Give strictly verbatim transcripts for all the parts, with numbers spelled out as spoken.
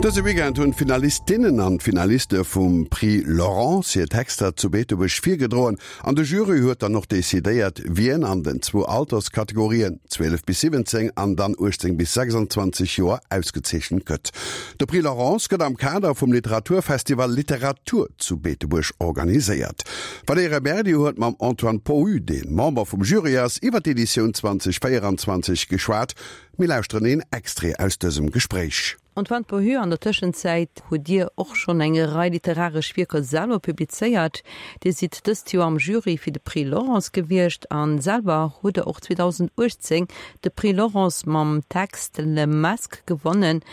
Dëse Weekend hunn d'Finalistinnen an d'Finaliste vum Prix Laurence hir Texter zu Beetebuerg virgedroen an de Jury huet dann och decidéiert, wien an den zwou Alterskategorien, zwielef bis siwwenzéng an dann uechtzéng bis sechsanzwanzeg Joer, ausgezeechent gëtt. De Prix Laurence gëtt am Kader vum Literaturfestival Literatur zu Beetebuerg organiséiert. D'Valerija Berdi huet mam Antoine Pohu, dee Member vum Jury ass, iwwer d'Editioun zwanzeg véieranzwanzeg geschwat. Mir lauschteren een Extrait aus dësem Gespréich. Antoine Pohu, An der Tëschenzäit hutt Dir och schonn eng Rei literaresch Wierker selwer publizéiert. Dir sidd dëst Joer am Jury fir de Prix Laurence gewiescht a selwer hutt Der och zweedausenduechtzéng de Prix Laurence mam Text Le Masque gewonnen.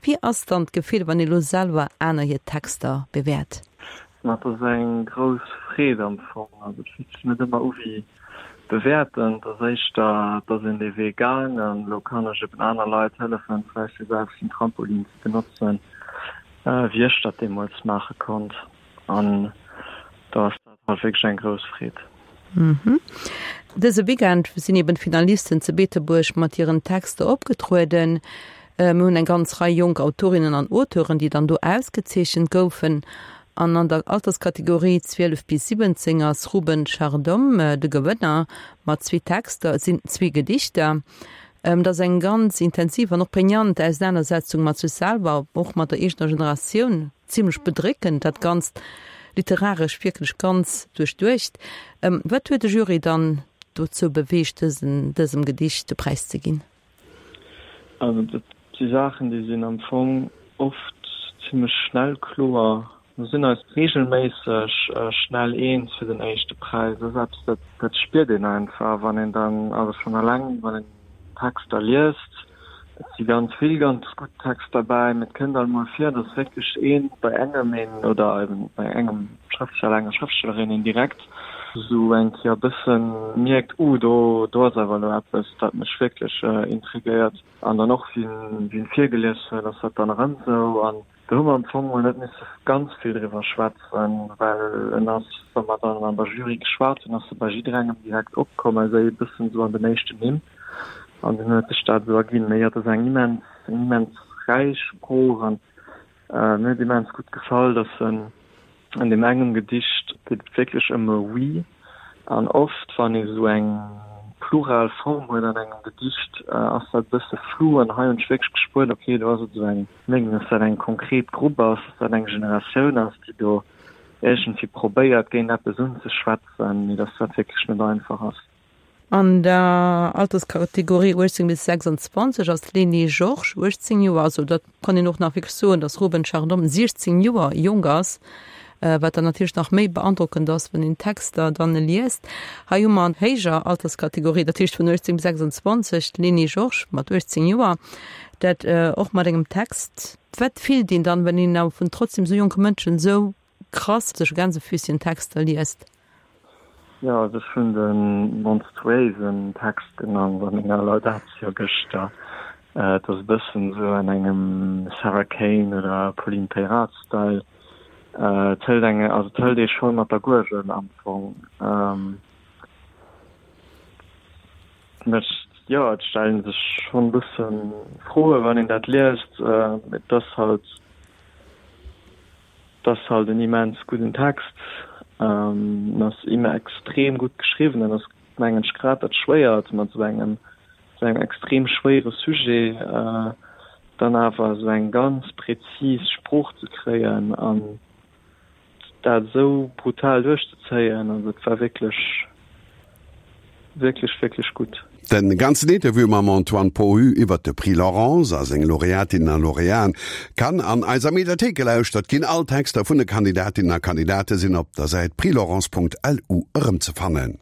Wéi ass dann d'Gefill, wann ee lo selwer aner hir Texter bewäert? Ma et ass eng grouss Freed am Fong. Also et fillt sech net ëmmer u wéi bewäerten, et ass éischter, et ass een dee Wee gaang an elo kann ech eben aner Leit hëllefen, vläicht dee selwechten Trampolin ze benotzen, wéi ech dat deemools maache konnt. An do ass dat halt wierklech eng grouss Freed. Dëse Weekend sinn eben d'Finalisten zu Beetebuerg mat hiren Texter opgetrueden. Mir hunn eng ganz Rei jonk Autorinnen an Auteuren, déi dann do ausgezeechent goufen. An an der Alterskategorie zwielef bis siwwenzéng ass Ruben Chardom de Gewënner mat zwee Texter, et sinn zwee Gedichter. Et ass eng ganz intensiv an och prägnant Ausenanersetzung mat sech selwer, och mat der eegener Generatioun. Zimlech bedréckend dat Ganzt, literaresch wierklech ganz duerchduecht. Wat huet de Jury dann dozou beweegt, dësen dësem Gedicht de Präis ze ginn? Also dat si Saachen, déi sinn am Fong oft zimlech schnell kloer. Mir sinn eis reegelméisseg schnell eens fir den éischte Präis. Dat ass eppes, dat dat spiert een einfach, wann een dann, also schonn eleng wann een Texter liest. Et si ganz vill ganz gutt Texter bäi, mee et kënnt alt mol vir, datt wierklech ee bei engem een oder eben bei engem Schrëftsteller, enger Schrëftstellerin een direkt esou eng Kéier e bësse mierkt, Uh, do do ass awer elo eppes, dat mech wierklech intriguéiert. An dann och wien wien virgelies huet, ass dat dann erëm esou. An do hu mer am Fong mol net misse ganz vill driwwer schwätzen, well en ass, wa mer dann an der Jury geschwat hunn, ass e bei jidderengem direkt opkomm, ausser ee bëssen esou an den éischten Nimm. An dunn huet sech dat esou erginn. Mee jo, et ass eng immens, eng immens räich Sprooch an mir huet immens gutt gefall, dass en An deem engem Gedicht geet et wierklech ëm e We. An oft, wann ee sou eng plural Form huet an engem Gedicht, ass dat e bësse flou. An hei hunn ech wierklech gespuert, okay, do ass et sou eng, mengen, dass dat eng konkret Grupp ass, dass dat eng Generatioun ass, déi do iergendwéi probéiert, géint eppes unzeschwätzen, mee dass dat wierklech net einfach ass. An der Alterskategorie uechtzéng bis sechsanzwanzeg ass d'Lénie Georges uechtzéng Joer, also dat kann een och nach wierklech soen, datt Ruben Chardon siechzéng Joer jonk ass, wat dann natierlech nach méi beandrockend ass, wann een d'Texter dann liest. Hei hu mer an héijer Alterskategorie, dat heescht vun uechtzéng bis sechsanzwanzeg, d'Lénie Georges mat uechtzéng Joer, dat och mat engem Text. Wat fillt een dann, wann een awer vun trotzdem esou jonke Mënschen esou krass sech Gänsefüßchen Texter liest? Jo, also ech hunn de monstruéisen Text genannt a menger Laudatio gëschter. Et ass e bëssen esou an engem Sarah Kane oder Pauline Peyrat Style. Et hëlt eng, also et hëlt ee scho mat der Guergel am Fong. Et mécht, jo, et stellen sech schonn e bësse Froen, wann een dat liest. Et ass halt. Et ass halt en immens gudden Text, en ass extrem gutt geschriwwen an ass mengen ech grad dat Schwéiert mat esou engem esou engem extrem schwéiere Sujet dann awer esou eng ganz präzis Sprooch ze kréien an dat esou brutal duerchzezéien. Also et war wierklech wierklech wierklech gutt. Den ganzen Interview mam Antoine Pohu iwwert de Prix Laurence a seng Laureatinnen a Laureaten kann an eiser Mediathéik gelauschtert ginn. All Texter vun de Kandidatinnen a Kandidate sinn op der Säit prixlaurence Punkt lu erëmzefannen.